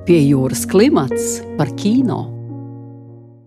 Pie jūras klimats par kino.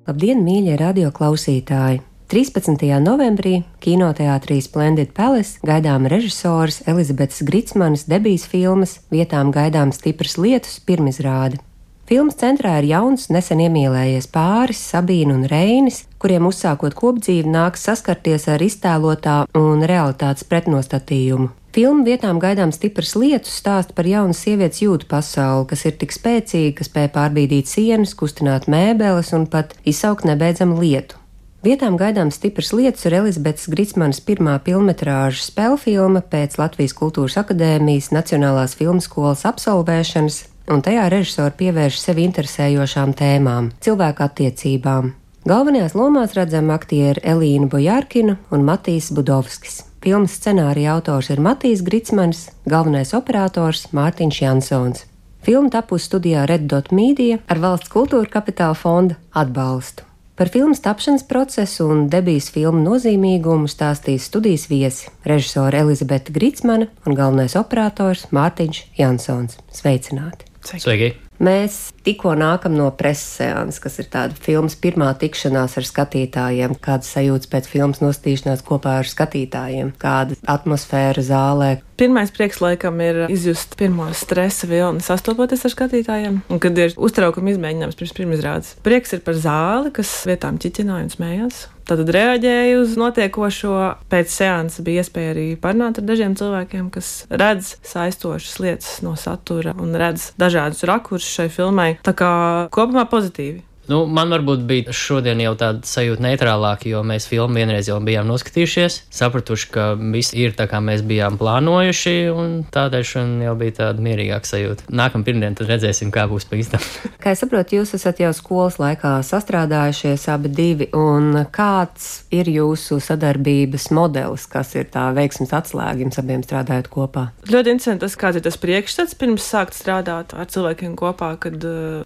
Labdien, mīļie radioklausītāji! 13. novembrī kinoteātrī Splendid Palace gaidām režisores Elizabetes Gricmanas debijas filmas Vietām gaidām stipras lietus pirmizrāde. Filmas centrā ir jauns, nesen iemīlējies pāris Sabīna un Reinis, kuriem uzsākot kopdzīvi nāks saskarties ar iztēlotā un realitātes pretnostatījumu. Filma Vietām gaidām stipras lietus stāsta par jaunu sievietes jūtu pasauli, kas ir tik spēcīga, ka spēj pārbīdīt sienas, kustināt mēbeles un pat izsaukt nebeidzamu lietu. Vietām gaidām stipras lietus ir Elizabetes Gricmanas pirmā pilnmetrāža spēlfilma pēc Latvijas Kultūras akadēmijas Nacionālās filmskolas absolvēšanas, un tajā režisori pievērš sevi interesējošām tēmām – cilvēku attiecībām. Galvenajās lomās redzam aktieri Elīnu Bojārkinu un Matīs Budovskis. Filmas scenārija autors ir Matīs Gricmanis, galvenais operators Mārtiņš Jansons. Filma tapusi studijā Red Dot Media ar Valsts kultūra kapitāla fonda atbalstu. Par filmas tapšanas procesu un debijas filmu nozīmīgumu stāstīs studijas viesi – režisore Elizabete Gricmana un galvenais operators Mārtiņš Jansons. Sveicināti! Sveiki! Mēs tikko nākam no preses seanses, kas ir tāda filmas pirmā tikšanās ar skatītājiem. Kādas sajūtas pēc filmas nostīšanās kopā ar skatītājiem? Kāda atmosfēra zālē? Pirmais prieks laikam ir izjust pirmo stresa vilni sastopoties ar skatītājiem, un kad ir uztraukuma izmēģinājums pirms pirmizrādes. Prieks ir par zāli, kas vietām ķiķināja un smējās. Tātad reaģēju uz notiekošo. Pēc seansa bija iespēja arī parunāt ar dažiem cilvēkiem, kas redz saistošas lietas no satura un redz dažādus rakursus šai filmai. Tā kā kopumā pozitīvi. Man varbūt bija šodien jau tāda sajūta neitrālāka, jo mēs filmu vienreiz jau bijām noskatījušies, sapratuši, ka viss ir tā, kā mēs bijām plānojuši, un tādēļ šodien jau bija tāda mierīgāka sajūta. Nākamā pirmdien tad redzēsim, kā būs pa īstam. Kā es saprotu, jūs esat jau skolas laikā sastrādājušies abi divi, un kāds ir jūsu sadarbības modelis, kas ir tā veiksmes atslēga jums abiem strādājot kopā? Ļoti interesanti tas, kāds ir tas priekšstats pirms sākt strādāt ar cilvēkiem kopā, kad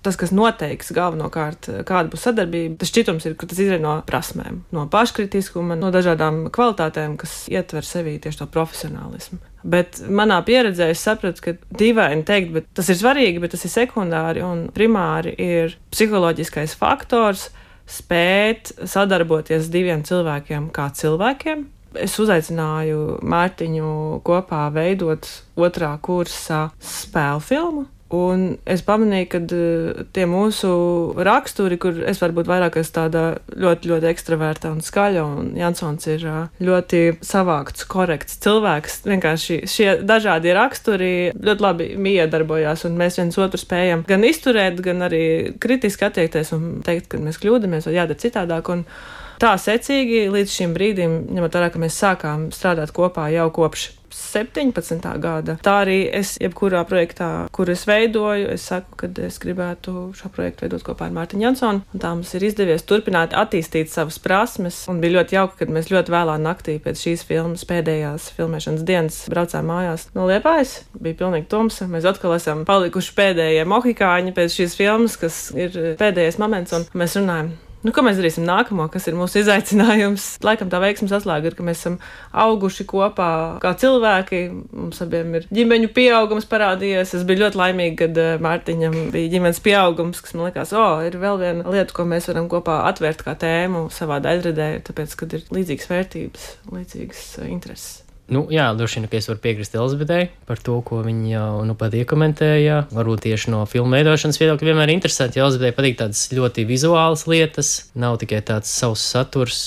tas, kas noteiks galvenokārt, kāda būs sadarbība, tas šķitums ir, ka tas izriet no prasmēm, no paškritiskuma, no dažādām kvalitātēm, kas ietver sevī tieši to profesionālismu. Bet manā pieredzē es sapratu, ka dīvaini teikt, bet tas ir svarīgi, bet tas ir sekundāri un primāri ir psiholoģiskais faktors spēt sadarboties diviem cilvēkiem kā cilvēkiem. Es uzaicināju Mārtiņu kopā veidot 2. kursa spēlfilmu. Un es pamanīju, ka tie mūsu raksturi, kur es varbūt vairāk esmu tāda ļoti, ļoti ekstraverta un skaļa, un Jansons ir ļoti savākts, korekts cilvēks. Vienkārši šie dažādie raksturi ļoti labi miedarbojās, un mēs viens otru spējam gan izturēt, gan arī kritiski attiekties un teikt, ka mēs kļūdamies vai jādara citādāk. Un tā secīgi līdz šim brīdim, ņemot vērā, ka mēs sākām strādāt kopā jau kopš 17. gada. Tā arī es jebkurā projektā, kur es veidoju, es saku, ka es gribētu šo projektu veidot kopā ar Mārtiņu Jansonu. Un tā mums ir izdevies turpināt attīstīt savas prasmes. Un bija ļoti jauki, kad mēs ļoti vēlā naktī pēc šīs filmas pēdējās filmēšanas dienas braucām mājās no Liepājas. Bija pilnīgi tumsa. Mēs atkal esam palikuši pēdējie mohikāņi pēc šīs filmas, kas ir pēdējais moments, un mēs runājam. Ko mēs darīsim nākamo, kas ir mūsu izaicinājums? Laikam tā veiksmes atslēga ir, ka mēs esam auguši kopā kā cilvēki. Mums abiem ir ģimeņu pieaugums parādījies. Es biju ļoti laimīga, kad Mārtiņam bija ģimenes pieaugums, kas man likās, ir vēl viena lieta, ko mēs varam kopā atvērt kā tēmu savā daļradē, tāpēc, kad ir līdzīgas vērtības, līdzīgas intereses. Jā, droši vien, ka es varu piekrist Elizabetei par to, ko viņa jau pat iekomentēja. Varbūt tieši no filmu veidošanas viedokļa vienmēr interesanti, ja Elizabetei patīk tādas ļoti vizuālas lietas, nav tikai tāds savs saturs,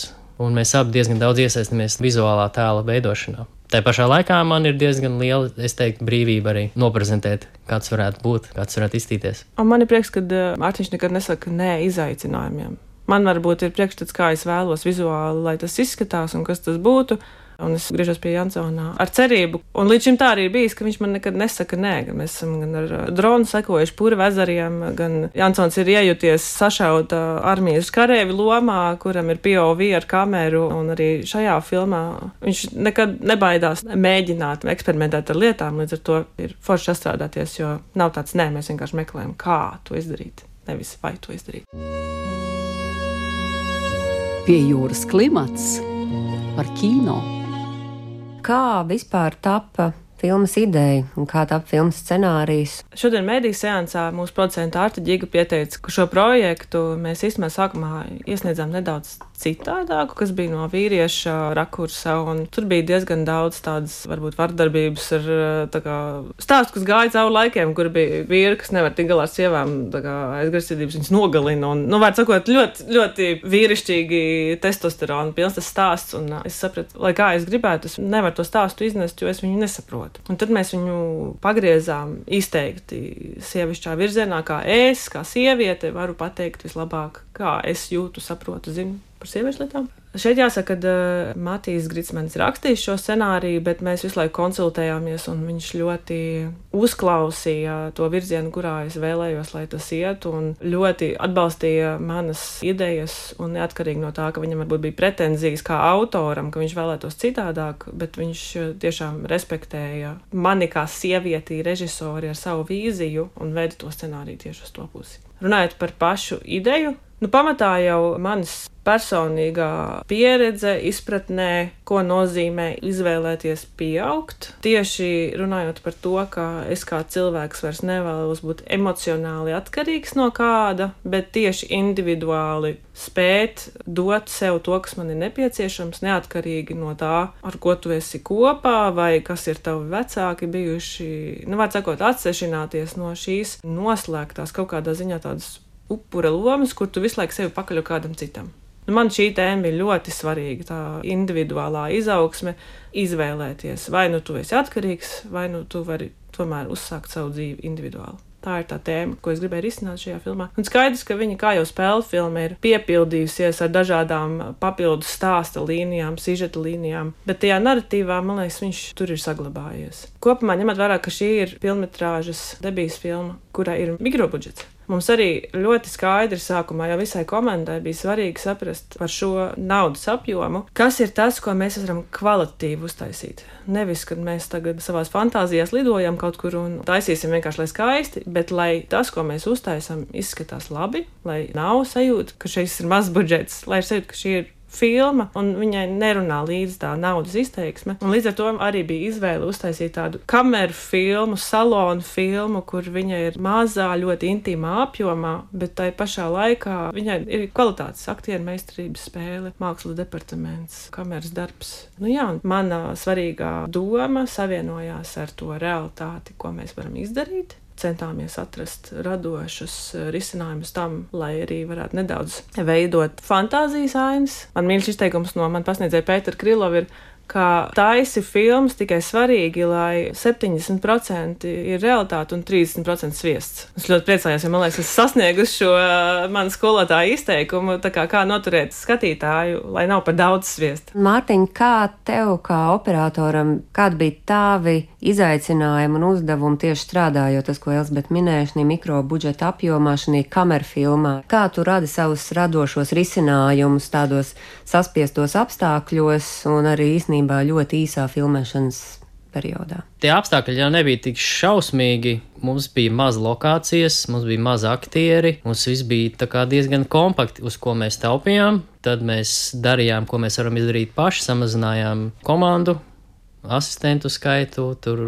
un mēs abi diezgan daudz iesaistamies vizuālā tēla veidošanā. Tā pašā laikā man ir diezgan liela, es teiktu, brīvība arī noprezentēt, kāds varētu būt, kāds varētu izstīties. Un man ir prieks, ka Mārtiņš nekad nesaka nē izaicinājumiem. Man varbūt ir priekšstats, kā es vēlos vizuāli, lai tas izskatās un kas tas būtu. Un es griežos pie Jansona ar cerību. Un līdz šim tā arī bijis, ka viņš man nekad nesaka nē. Mēs esam gan ar dronu sekojuši purva ezeriem, gan Jansons ir iejūties sašauta armijas karēvi lomā, kuram ir POV ar kameru. Un arī šajā filmā viņš nekad nebaidās mēģināt, eksperimentēt ar lietām. Līdz ar to ir forši sastrādāties, jo nav tāds nē, mēs vienkārši meklējam, kā to izdarīt, nevis vai to izdarīt. Pie jūras klimats par kino. Kā vispār tapa filmas ideja un kā tapa filmas scenārijs? Šodien mediju seansā mūsu producenta Arta Ģiga pieteica, ka šo projektu mēs īstenībā sākumā iesniedzām nedaudz citādāku, kas bija no vīrieša rakursa, un tur bija diezgan daudz tādas, varbūt, vardarbības ar stāstu, kas gāja cauri laikiem, kur bija vīri, kas nevar tik galā ar sievām, aizgrasības viņas nogalina, un, var sakot, ļoti, ļoti vīrišķīgi testosterona pilns tas stāsts, un es sapratu, lai kā es gribētu, es nevaru to stāstu iznest, jo es viņu nesaprotu. Un tad mēs viņu pagriezām izteikti sievišķā virzienā, kā es, kā sieviete, varu pateikt vislabāk, kā es jūtu, saprotu, zinu par sieviešu lietām. Šeit jāsaka, ka Matijs Gricmanis rakstījis šo scenāriju, bet mēs visu laiku konsultējāmies, un viņš ļoti uzklausīja to virzienu, kurā es vēlējos, lai tas iet, un ļoti atbalstīja manas idejas, un neatkarīgi no tā, ka viņam varbūt bija pretenzijas kā autoram, ka viņš vēlētos citādāk, bet viņš tiešām respektēja mani kā sievieti, režisori ar savu vīziju un veida to scenāriju tieši uz to pusi. Runājot par pašu ideju, pamatā jau manas personīgā pieredze, izpratnē, ko nozīmē izvēlēties pieaugt. Tieši runājot par to, ka es kā cilvēks vairs nevēlos būt emocionāli atkarīgs no kāda, bet tieši individuāli spēt dot sev to, kas man ir nepieciešams, neatkarīgi no tā, ar ko tu esi kopā, vai kas ir tavi vecāki bijuši, var sakot, atsešināties no šīs noslēgtās kaut kādā ziņā tādas upura lomas, kur tu visu laiku sevi pakaļ kādam citam. Man šī tēma bija ļoti svarīga, tā individuālā izaugsme, izvēlēties, vai nu tu esi atkarīgs, vai nu tu vari tomēr uzsākt savu dzīvi individuāli. Tā ir tā tēma, ko es gribēju risināt šajā filmā. Un skaidrs, ka viņa, kā jau spēle filma, ir piepildījusies ar dažādām papildus stāsta līnijām, sižeta līnijām, bet tajā narratīvā, man liekas, viņš tur ir saglabājies. Kopumā ņemot vērā, ka šī ir filmetrāžas debijas filma, kurai ir mikrobudžets. Mums arī ļoti skaidri sākumā jau visai komandai bija svarīgi saprast par šo naudas apjomu, kas ir tas, ko mēs varam kvalitatīvi uztaisīt. Nevis, kad mēs tagad savās fantāzijās lidojam kaut kur un taisīsim vienkārši, lai skaisti, bet lai tas, ko mēs uztaisam, izskatās labi, lai nav sajūta, ka šis ir mazs budžets, lai ir sajūta, ka šī ir filma, un viņai nerunā līdz tā naudas izteiksme. Un līdz ar to arī bija izvēle uztaisīt tādu kameru filmu, salonu filmu, kur viņa ir mazā, ļoti intīmā apjomā, bet tai pašā laikā viņai ir kvalitātes, aktieru meistarības spēle, mākslas departaments, kameras darbs. Un mana svarīgā doma savienojās ar to realitāti, ko mēs varam izdarīt. Centāmies atrast radošus risinājumus tam, lai arī varētu nedaudz veidot fantāzijas ainas. Man mīļš izteikums no man pasniedzēja Pētera Krylova ir, ka taisi filmas tikai svarīgi, lai 70% ir realitāte un 30% sviests. Es ļoti priecājos, jo man liekas, es sasniegu šo manu skolotāju izteikumu, tā kā noturēt skatītāju, lai nav par daudz sviesta. Mārtiņ, kā tev, kā operatoram, kādi bija tavi izaicinājumi un uzdevumi tieši strādājot, tas, ko Elzbieta minēja, šī mikrobudžeta apjomā, šī kamerfilmā? Kā tu radi savus radošos risinājumus tādos saspiestos apstākļos un arī īstenībā ļoti īsā filmēšanas periodā? Tie apstākļi jau nebija tik šausmīgi. Mums bija maz lokācijas, mums bija maz aktieri, mums viss bija tā kā diezgan kompakti, uz ko mēs taupījām. Tad mēs darījām, ko mēs varam izdarīt paši, samazinājām komandu, asistentu skaitu, tur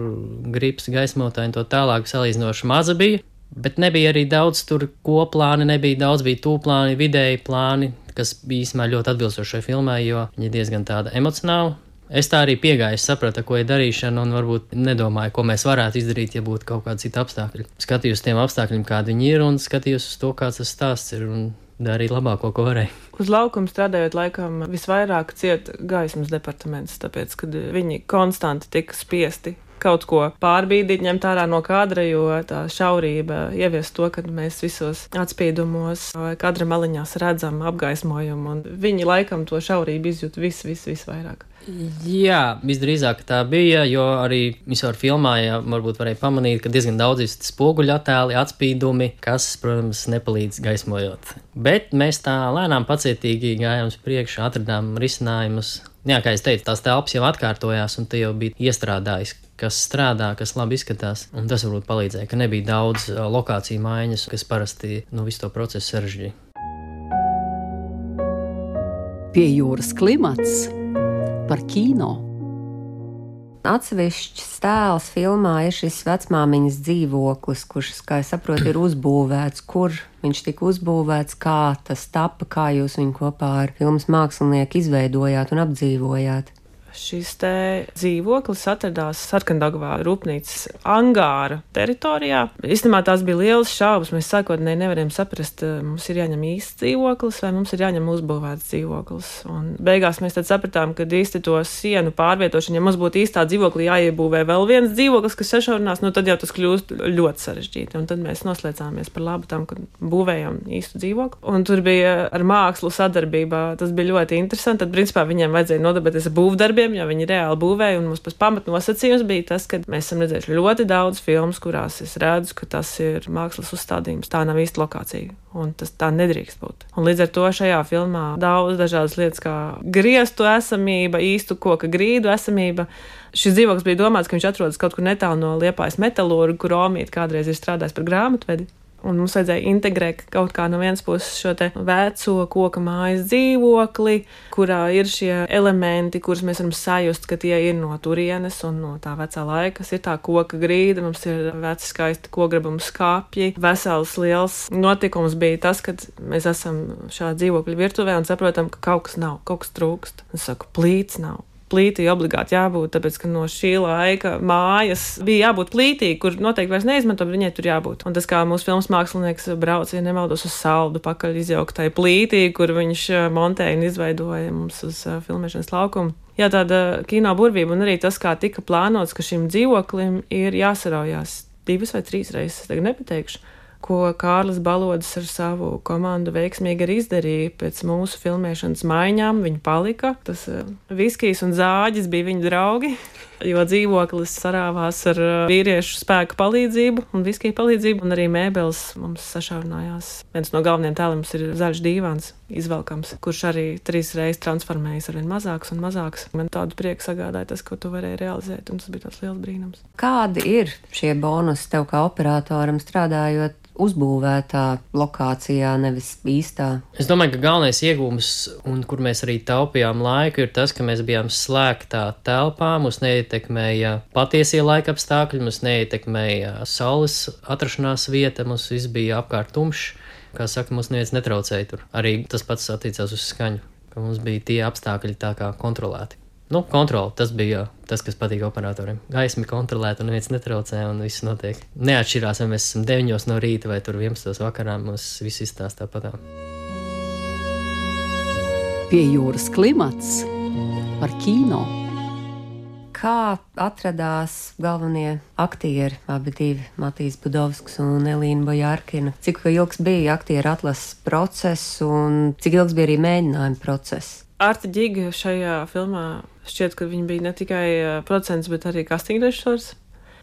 grips, gaismotāji un to tālāk salīdzinoši maza bija. Bet nebija arī daudz tur koplāni, nebija daudz, bija tūplāni, vidēji plāni, kas bija īstenībā ļoti atbilstoši šai filmai, jo viņa diezgan tāda emocionāla. Es tā arī piegāju, sapratu, ko ir darīšana, un varbūt nedomāju, ko mēs varētu izdarīt, ja būtu kaut kādi citi apstākļi. Skatījos tiem apstākļiem, kādi viņi ir, un skatījos uz to, kāds tas stāsts ir, un darīju labāko, ko varēju. Uz laukuma strādājot, laikam visvairāk ciet gaismas departaments, tāpēc, kad viņi konstanti tika spiesti kaut ko pārbīdīt, ņemt ārā no kadra, jo tā šaurība ievies to, ka mēs visos atspīdumos vai kadra maliņās redzam apgaismojumu, un viņi laikam to šaurību izjūt visvairāk. Jā, visdrīzāk tā bija, jo arī visur filmā, varbūt varēja pamanīt, ka diezgan daudz ir spoguļu attēli, atspīdumi, kas, protams, nepalīdz gaismojot. Bet mēs tā lēnām pacietīgi gājām uz priekšu, atradām risinājumus. Jā, kā es teicu, tās telpas jau atkārtojās, un te jau bija iestrādājis, kas strādā, kas labi izskatās, un tas varbūt palīdzēja, ka nebija daudz lokāciju maiņas, kas parasti visu to procesu sarežģīja. Pie jūras klimats par kino. Atsevišķs tēls filmā ir šis vecmāmiņas dzīvoklis, kurš, kā es saprotu, ir uzbūvēts. Kur viņš tika uzbūvēts, kā tas tapa, kā jūs viņu kopā ar filmas mākslinieku izveidojāt un apdzīvojāt? Šis te dzīvoklis atradās Sarkandagvā rūpnīcas angāra teritorijā. Īstenībā tās bija lielas šaubas. Mēs sākotnēji nevarējām saprast, mums ir jāņem īsts dzīvoklis vai mums ir jāņem uzbūvēts dzīvoklis. Un beigās mēs tad sapratām, ka īsti to sienu pārvietošanu, ja mums būtu īstā dzīvoklī jāiebūvē vēl viens dzīvoklis, kas sašaurinās, tad jau tas kļūst ļoti sarežģīti. Un tad mēs noslēdzāmies par labu tam, ka būvējam īstu dzīvokli. Un tur bija ar mākslu sadarbībā. Tas bija ļoti interesanti. Tad, principā, viņiem vajadzēja nodarbēties ar būvdarbiem, jo viņi reāli būvēja, un mums pamatnosacījums bija tas, ka mēs esam redzējuši ļoti daudz filmas, kurās es redzu, ka tas ir mākslas uzstādījums. Tā nav īsta lokācija, un tas tā nedrīkst būt. Un līdz ar to šajā filmā daudz dažādas lietas, kā griestu esamība, īstu koka grīdu esamība. Šis dzīvoklis bija domāts, ka viņš atrodas kaut kur netālu no Liepājas metalurga, kur Omīte kādreiz ir strādājis par grāmatvedi. Un mums vajadzēja integrēt kaut kā no vienas puses šo te veco koka mājas dzīvokli, kurā ir šie elementi, kurus mēs varam sajust, ka tie ir no turienes un no tā vecā laika. Ir tā koka grīda, mums ir veci skaisti kograbuma skāpji. Vesels liels notikums bija tas, kad mēs esam šā dzīvokļa virtuvē un saprotam, ka kaut kas nav, kaut kas trūkst. Es saku, plīts nav. Plītī obligāti jābūt, tāpēc, ka no šī laika mājas bija jābūt plītī, kur noteikti vairs neizmanto, bet viņai tur jābūt. Un tas, kā mūsu filmas mākslinieks brauc, ja nemaldos uz saldu pakaļ izjauktai plītī, kur viņš montēja un izveidoja mums uz filmēšanas laukumu. Jā, tāda kino burvība un arī tas, kā tika plānots, ka šim dzīvoklim ir jāsaraujās 2 vai 3 reizes, es tagad nepateikšu, ko Kārlis Balodis ar savu komandu veiksmīgi arī izdarīja. Pēc mūsu filmēšanas maiņām viņi palika. Tas viskijs un zāģis bija viņu draugi, jo dzīvoklis sarāvās ar vīriešu spēku palīdzību un viskiju palīdzību, un arī mēbeles mums sašaurinājās. Viens no galvenajiem tēliem ir zaļš dīvāns, izvelkams, kurš arī 3 reizes transformējas arvien mazāks un mazāks. Man tādu prieku sagādāja tas, ko tu varēji realizēt, un tas bija tāds liels brīnums. Kādi ir šie bonusi tev kā operatoram strādājot uzbūvētā lokācijā, nevis īstā? Es domāju, ka galvenais iegūms, un kur mēs arī taupījām laiku, ir tas, ka mēs bijām slēgtā telpā, mūs neietekmēja patiesie laika apstākļi, mūs neietekmēja saules atrašanās vieta, mums viss bija apkārt tumšs. Kā saka, mums neviens netraucēja tur. Arī tas pats attiecās uz skaņu, ka mums bija tie apstākļi tā kā kontrolēti. Kontroli, tas bija tas, kas patīk operatoriem. Gaismi kontrolēt un neviens netraucē un viss notiek. Neatšķirās, vai mēs esam 9 no rīta vai tur 11 vakarā, mums viss izstāst tāpatā. Pie jūras klimats par kino. Kā atradās galvenie aktieri, abi divi, Matīs Budovskis un Elīna Bojārkina? Cik ilgs bija aktieru atlases process un cik ilgs bija arī mēģinājuma process? Arta Ģiga šajā filmā šķiet, ka viņa bija ne tikai producents, bet arī casting režisors.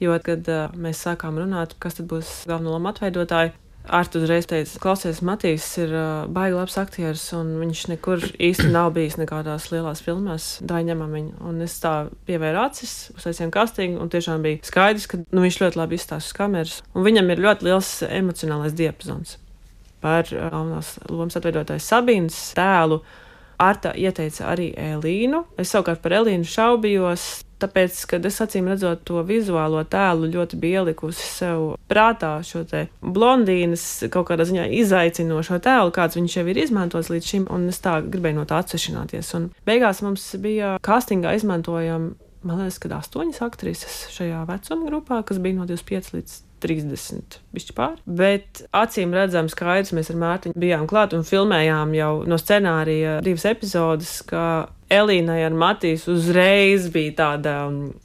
Jo, kad mēs sākām runāt, kas tad būs galveno lomu atveidotāji, Arta uzreiz teica, klausies, Matīs ir baigi labs aktieris, un viņš nekur īsti nav bijis nekādās lielās filmās, ņemam viņu. Un es tā pievēru acis, uztaisījām castingu, un tiešām bija skaidrs, ka viņš ļoti labi izstāsta uz kameras. Un viņam ir ļoti liels emocionālais diapazons. Par galvenās lomas atveidotāju Sabīnas tēlu Arta ieteica arī Elīnu. Es savukārt par Elīnu šaubījos, tāpēc, kad es acīm redzot to vizuālo tēlu ļoti bija ielikusi sev prātā šo te blondīnas kaut kādā ziņā izaicinošo tēlu, kāds viņš jau ir izmantots līdz šim, un es tā gribēju no tā atsevišķināties. Un beigās mums bija castingā izmantojam, man liekas, kad 8 aktrises šajā vecuma grupā, kas bija no 25 līdz 30 bišķi pār. Bet acīm redzam skaidrs, mēs ar Mārtiņu bijām klāt un filmējām jau no scenārija 2 epizodes, ka Elīnai ar Matīsu uzreiz bija tāda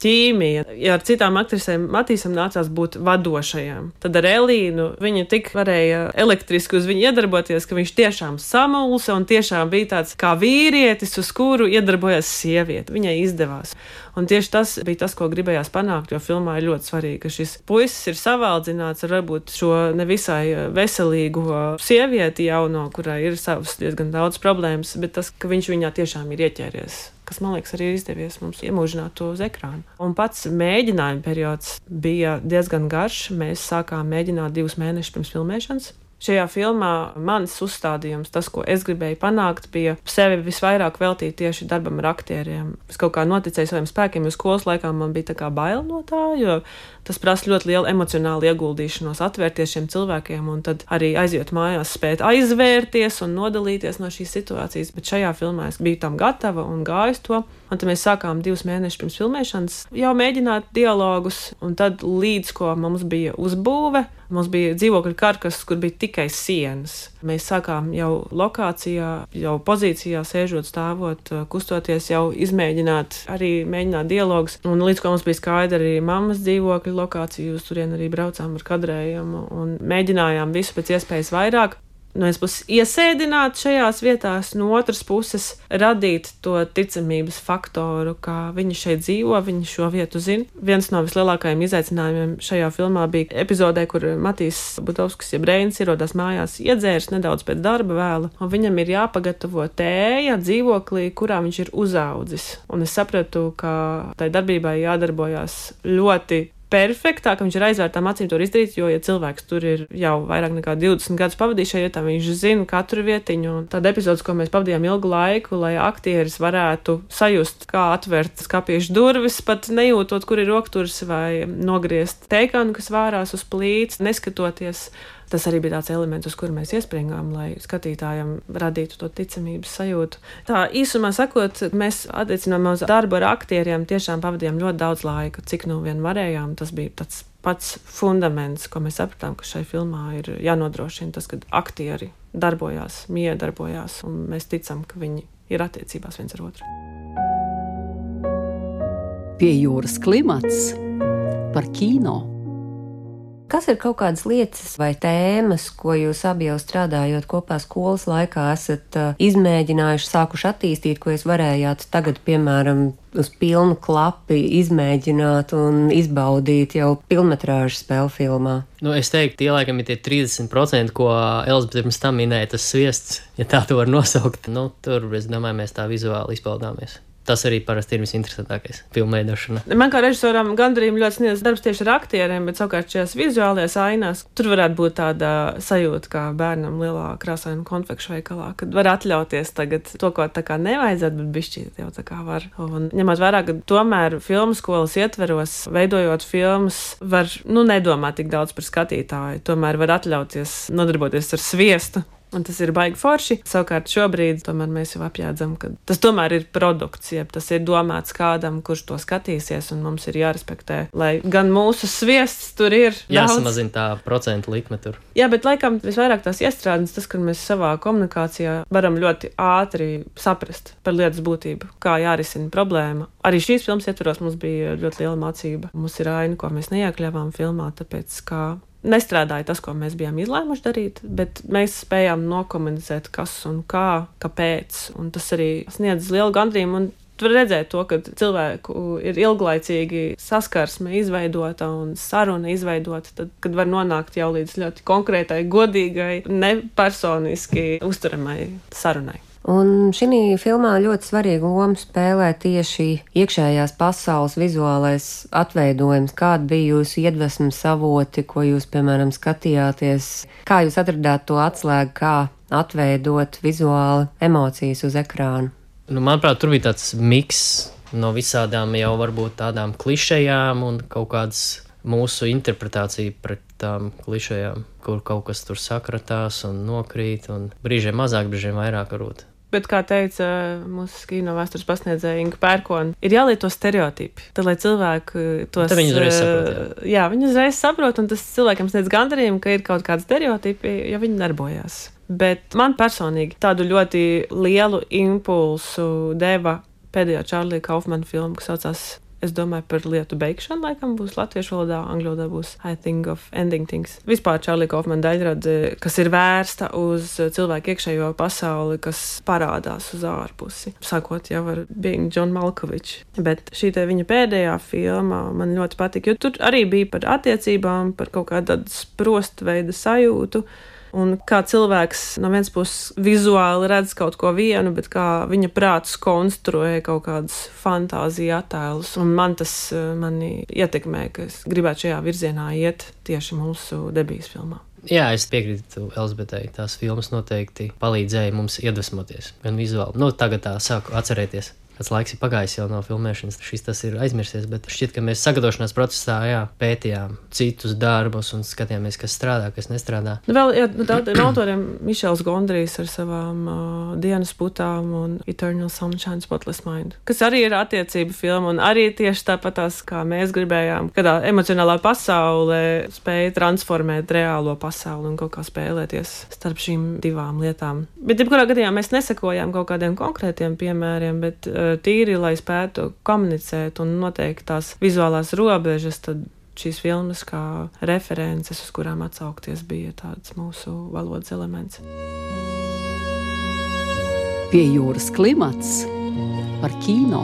ķīmija. Ja ar citām aktrisēm Matīsam nācās būt vadošajām, tad ar Elīnu viņa tik varēja elektriski uz viņu iedarboties, ka viņš tiešām samulsa un tiešām bija tāds kā vīrietis, uz kuru iedarbojas sieviete. Viņai izdevās. Un tieši tas bija tas, ko gribējās panākt, jo filmā ir ļoti svarīgi, ka šis puisis ir savaldzināts ar varbūt šo nevisai veselīgo sievieti jauno, kurai ir savas diezgan daudz problēmas, bet tas, ka viņš viņā tiešām ir ieķēries, kas, man liekas, arī ir izdevies mums iemūžināt to uz ekrānu. Un pats mēģinājuma periods bija diezgan garš. Mēs sākām mēģināt 2 mēnešus pirms filmēšanas. Šajā filmā mans uzstādījums, tas, ko es gribēju panākt, bija sevi visvairāk veltīt tieši darbam ar aktieriem. Es kaut kā noticēju saviem spēkiem, jo skolas laikā man bija tā kā bail no tā, jo tas prasa ļoti lielu emocionālu ieguldīšanos, atvērties šiem cilvēkiem un tad arī aiziet mājās, spēt aizvērties un nodalīties no šīs situācijas. Bet šajā filmā es biju tam gatava un gāju uz to. Un tad mēs sākām 2 mēnešus pirms filmēšanas jau mēģināt dialogus, un tad līdz ko mums bija uzbūve, mums bija dzīvokļu karkas, kur bija tikai sienas. Mēs sākām jau lokācijā, jau pozīcijā, sēžot, stāvot, kustoties, jau izmēģināt, arī mēģināt dialogus. Un līdz ko mums bija skaidri arī mammas dzīvokļu lokāciju, uz turien arī braucām ar kadrējumu un mēģinājām visu pēc iespējas vairāk. No vienas puses iesēdināt šajās vietās, no otras puses radīt to ticamības faktoru, kā viņi šeit dzīvo, viņi šo vietu zina. Viens no vislielākajiem izaicinājumiem šajā filmā bija epizodē, kur Matīs Butovskis, jeb Reinis, ierodās mājās iedzērs nedaudz pēc darba vēla, un viņam ir jāpagatavo tēja dzīvoklī, kurā viņš ir uzaudzis. Un es sapratu, ka tai darbībai jādarbojās ļoti perfektā, ka viņš ir aizvērtām acīm to izdarīt, jo, ja cilvēks tur ir jau vairāk nekā 20 gadus pavadījis šajā vietā, viņš zina katru vietiņu. Un tāda epizodes, ko mēs pavadījām ilgu laiku, lai aktieris varētu sajust, kā atvērt skapiešu durvis, pat nejūtot, kur ir rokturs, vai nogriezt teikanu, kas vārās uz plīts, neskatoties. Tas arī bija tāds elements, uz kuru mēs iespringām, lai skatītājam radītu to ticamības sajūtu. Tā īsumā sakot, mēs attiecinājumā uz darbu ar aktieriem tiešām pavadījām ļoti daudz laika, cik nu vien varējām. Tas bija tāds pats fundaments, ko mēs sapratām, ka šai filmā ir jānodrošina tas, ka aktieri darbojās, miedarbojās, un mēs ticam, ka viņi ir attiecībās viens ar otru. Pie jūras klimats par kino. Kas ir kaut kādas lietas vai tēmas, ko jūs abi jau strādājot kopā skolas laikā esat izmēģinājuši, sākuši attīstīt, ko jūs varējāt tagad, piemēram, uz pilnu klapi izmēģināt un izbaudīt jau pilnmetrāžu spēļu filmā? Es teiktu, tie laikam ir tie 30%, ko Elzbieta pirms tam minēja, tas sviests, ja tā to var nosaukt. Tur, es domāju, mēs tā vizuāli izpaudāmies. Tas arī parasti ir visinteresantākais filmveidošana. Man kā režisoram gandarījumu ļoti sniedz darbs tieši ar aktieriem, bet savukārt šajās vizuālajās ainās tur varētu būt tāda sajūta kā bērnam lielā krāsaina konfekšu veikalā, kad var atļauties tagad to, ko tā kā nevajadzētu, bet bišķīt jau tā kā var. Un ņemot vērā, ka tomēr filmu skolas ietveros, veidojot filmas, var nedomāt tik daudz par skatītāju, tomēr var atļauties nodarboties ar sviestu. Un tas ir baigi forši. Savukārt šobrīd tomēr mēs jau apjēdzam, ka tas tomēr ir produkts, jeb tas ir domāts kādam, kurš to skatīsies, un mums ir jārespektē, lai gan mūsu sviests tur ir jāsamazina tā procentu likme tur. Jā, bet laikam visvairāk tās iestrādes, tas, ka mēs savā komunikācijā varam ļoti ātri saprast par lietas būtību, kā jārisina problēma. Arī šīs filmas ietveros mums bija ļoti liela mācība. Mums ir aina, ko mēs neiekļāvām filmā, tāpēc kā nestrādāja tas, ko mēs bijām izlēmuši darīt, bet mēs spējām nokomunicēt, kas un kā, kāpēc. Un tas arī sniedz lielu gandarījumu. Un tu vari redzēt to, ka cilvēku ir ilglaicīgi saskarsme izveidota un saruna izveidota, tad, kad var nonākt jau līdz ļoti konkrētai, godīgai, nepersoniski uzturamai sarunai. Un šī filmā ļoti svarīgu lomu spēlē tieši iekšējās pasaules vizuālais atveidojums. Kāda bija jūsu iedvesmas avoti, ko jūs, piemēram, skatījāties? Kā jūs atradāt to atslēgu, kā atveidot vizuāli emocijas uz ekrāna? Manuprāt, tur bija tāds miks no visādām jau varbūt tādām klišejām un kaut kādas mūsu interpretācija pret tām klišejām, kur kaut kas tur sakratās un nokrīt, un brīžiem mazāk, brīžiem vairāk varbūt. Bet, kā teica mūsu kino vēstures pasniedzēja Inga Pērkona, ir jālieto stereotipi, tad, lai cilvēki tos... Tad viņi uzreiz saprot, jā, viņi uzreiz saprot, un tas cilvēkiem sniedz gandarījumu, ka ir kaut kādi stereotipi, ja viņi darbojās. Bet man personīgi tādu ļoti lielu impulsu deva pēdējā Čārlija Kaufmana filma, kas saucās Es domāju par lietu beigšanu, laikam būs latviešu valodā, angļu valodā būs I think of ending things. Vispār Čārlija Kaufmana daļradze, kas ir vērsta uz cilvēku iekšējo pasauli, kas parādās uz ārpusi. Sākot jau ar Being John Malkovich. Bet šī te viņa pēdējā filma man ļoti patika, jo tur arī bija par attiecībām, par kaut kādu sprostveida sajūtu. Un kā cilvēks no vienas puses vizuāli redz kaut ko vienu, bet kā viņa prāts konstruē kaut kādas fantāzija attēlus. Un man tas mani ietekmē, ka es gribētu šajā virzienā iet tieši mūsu debijas filmā. Jā, es piekrītu Elizabetei. Tās filmas noteikti palīdzēja mums iedvesmoties, gan vizuāli. Nu, tagad tā sāku atcerēties. Kāds laiks ir pagājis jau no filmēšanas, šis tas ir aizmirsies, bet šķiet, ka mēs sagatavošanās procesā, pētījām citus darbus un skatījāmies, kas strādā, kas nestrādā. Vēl tādiem autoriem Mišels Gondrijs ar savām Dienas putām un Eternal Sunshine Spotless Mind, kas arī ir attiecība filma un arī tieši tāpatās, kā mēs gribējām, kādā emocionālā pasaulē spēja transformēt reālo pasauli un kaut kā spēlēties starp šīm divām lietām. Bet, jebkurā gadījumā, mēs nesakojām kaut kādiem konkrētiem piemēriem, bet tīri, lai spētu komunicēt un noteikt tās vizuālās robežas, tad šīs filmas kā references, uz kurām atsaukties, bija tāds mūsu valodas elements. Pie jūras klimats par kino.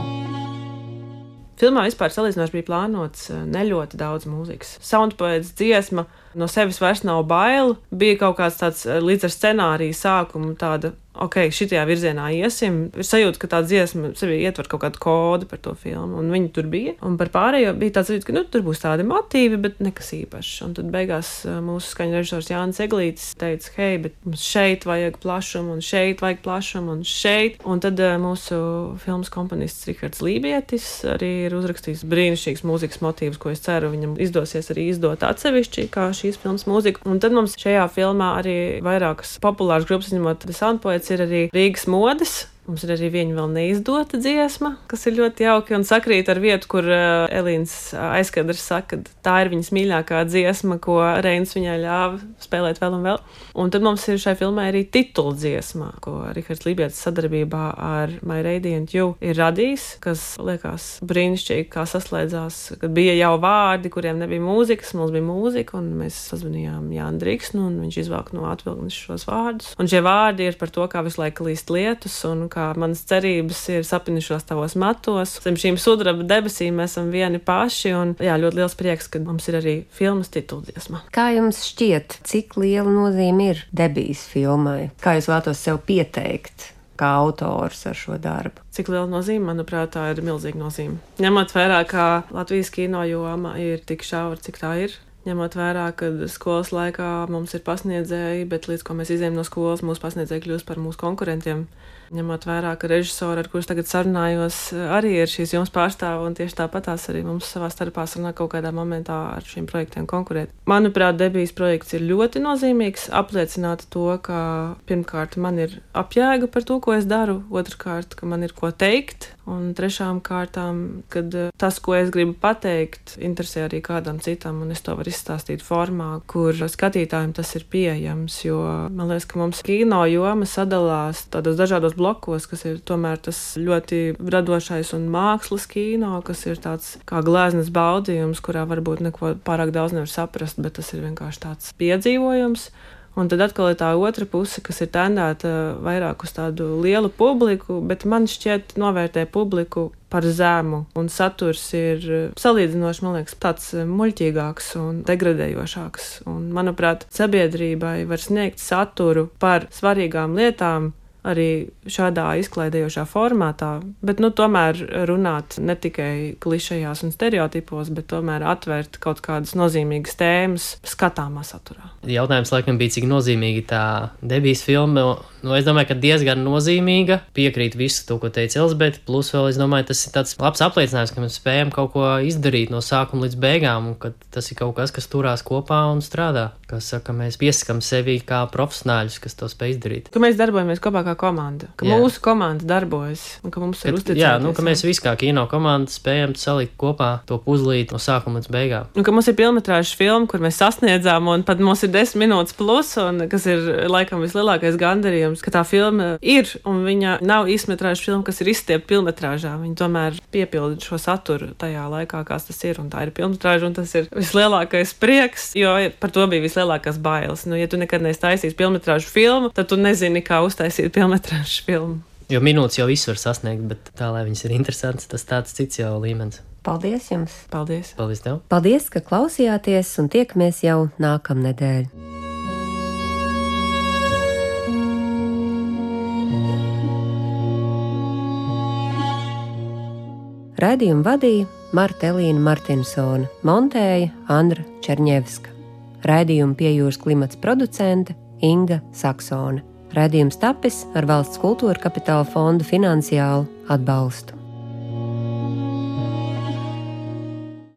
Filmā vispār salīdzinoši bija plānots neļoti daudz mūzikas. Soundpoets dziesma no sevis vairs nav bail, bija kaut kāds tāds līdz ar scenāriju sākumu tāda, ok, šitajā virzienā iesim. Ir sajūta, ka tā dziesma sevi ietver kaut kādu kodu par to filmu, un viņi tur bija. Un par pārējo bija tāds sajūta, ka tur būs tādi motīvi, bet nekas īpašs. Un tad beigās mūsu skaņu režisors Jānis Eglītis teica, hei, bet mums šeit vajag plašumu, un šeit vajag plašumu, un šeit. Un tad mūsu filmas komponists Rihards Lībietis arī ir uzrakstījis brīnišķīgs mūzikas motīvus, ko es ceru viņam izdosies arī izdot atsevišķi, kā šīs filmas mūzika. Un tad mums šajā filmā arī vairākas populāras grupas, izņemot The Soundpoets, ir arī Rīgas modes. Mums ir arī viņa vēl neizdota dziesma, kas ir ļoti jauki un sakrīt ar vietu, kur Elīnas aizkadrs saka, ka tā ir viņas mīļākā dziesma, ko Reins viņai ļāva spēlēt vēl un vēl. Un tad mums ir šai filmai arī titula dziesma, ko Rihards Lībietis sadarbībā ar My Radiant You ir radījis, kas liekas brīnišķīgi, kā saslēdzās, kad bija jau vārdi, kuriem nebija mūzikas, mums bija mūzika, un mēs sazvanījām Jānu Driksnu, un viņš izvāk no atvilknes šos vārdus. Un šie vārdi ir par to, kā visu laiku līst lietus, un kā manas cerības ir sapinišos tavos matos. Zem šīm sudraba debesīm mēs esam vieni paši, un ļoti liels prieks, ka mums ir arī filmas tituldziesma. Kā jums šķiet, cik liela nozīme ir debijas filmai? Kā jūs vēlatos sev pieteikt kā autors ar šo darbu? Cik liela nozīme? Manuprāt, tā ir milzīga nozīme. Ņemot vērā, kā Latvijas kino joma ir tik šaura, cik tā ir. Ņemot vērā, ka skolas laikā mums ir pasniedzēji, bet līdz ko mēs izējām no skolas, mūsu pasniedzēji kļūst par mūsu konkurentiem. Ņemot vērā, ka režisori, ar kurus tagad sarunājos, arī ir šīs jomas pārstāvi, un tieši tāpatās arī mums savā starpā sarunā kaut kādā momentā ar šiem projektiem konkurēt. Manuprāt, debijas projekts ir ļoti nozīmīgs, apliecināt to, ka pirmkārt man ir apjēga par to, ko es daru, otrkārt, ka man ir ko teikt, un trešām kārtām, kad tas, ko es gribu pateikt, interesē arī kādam citam, un es to varu izstāstīt formā, kur skatītājiem tas ir pieejams, jo man liekas, ka mums kino joma sadalās tādos dažādos blokos, kas ir tomēr tas ļoti radošais un mākslas kino, kas ir tāds kā gleznas baudījums, kurā varbūt neko pārāk daudz nevar saprast, bet tas ir vienkārši tāds piedzīvojums. Un tad atkal ir tā otra puse, kas ir tendēta vairāk uz tādu lielu publiku, bet man šķiet novērtē publiku par zemu, un saturs ir salīdzinoši, man liekas, tāds muļķīgāks un degradējošāks. Un, manuprāt, sabiedrībai var sniegt saturu par svarīgām lietām, arī šādā izklaidējošā formātā, bet tomēr runāt ne tikai klišejās un stereotipos, bet tomēr atvērt kaut kādas nozīmīgas tēmas skatāmā saturā. Jautājums laikam bija, cik nozīmīga tā debijas filma. Es domāju, ka diezgan nozīmīga. Piekrīt visu to, ko teica Elizabete, plus vēl es domāju, tas ir tāds labs apliecinājums, ka mēs spējam kaut ko izdarīt no sākuma līdz beigām, un ka tas ir kaut kas, kas turās kopā un strādā. Kā saka, mēs piesakam sevi kā profesionāļus, kas to spēj izdarīt. Ka mēs darbojamies kopā kā komanda, ka mūsu komanda darbojas un ka mums ir uzticēties. Ka mēs visi kā kino komanda spējam salikt kopā to puzlīt no sākuma līdz beigām. Un ka mums ir pilnmetrāžas filma, kur mēs sasniedzām, un pat mums ir 10 minūtes plus, un kas ir laikam vislielākais gandarījums, ka tā filma ir, un viņa nav īsmetrāžas filma, kas ir izstiepta pilnmetrāžā. Viņa tomēr piepilda šo saturu tajā laikā, kāds tas ir, un tā ir pilnmetrāža, un tas ir vislielākais prieks, jo par to bija vislielākās bailes. Ja tu nekad neesi taisījis pilnmetrāžu filmu, tad tu nezini, kā uztaisīt pilnmetrāžu filmu. Jo minūtes jau visu var sasniegt, bet tā, lai viņas ir interesants, tas tāds cits jau līmenis. Paldies jums! Paldies! Paldies tev! Paldies, ka klausījāties, un tiekamies jau nākamnedēļ! Raidījumu vadīja Marta Elīna Martinsone, montēja Andra Čerņevska. Raidījumu Pie jūras klimats producente Inga Saksone. Raidījums tapis ar Valsts kultūra kapitāla fonda finansiālu atbalstu.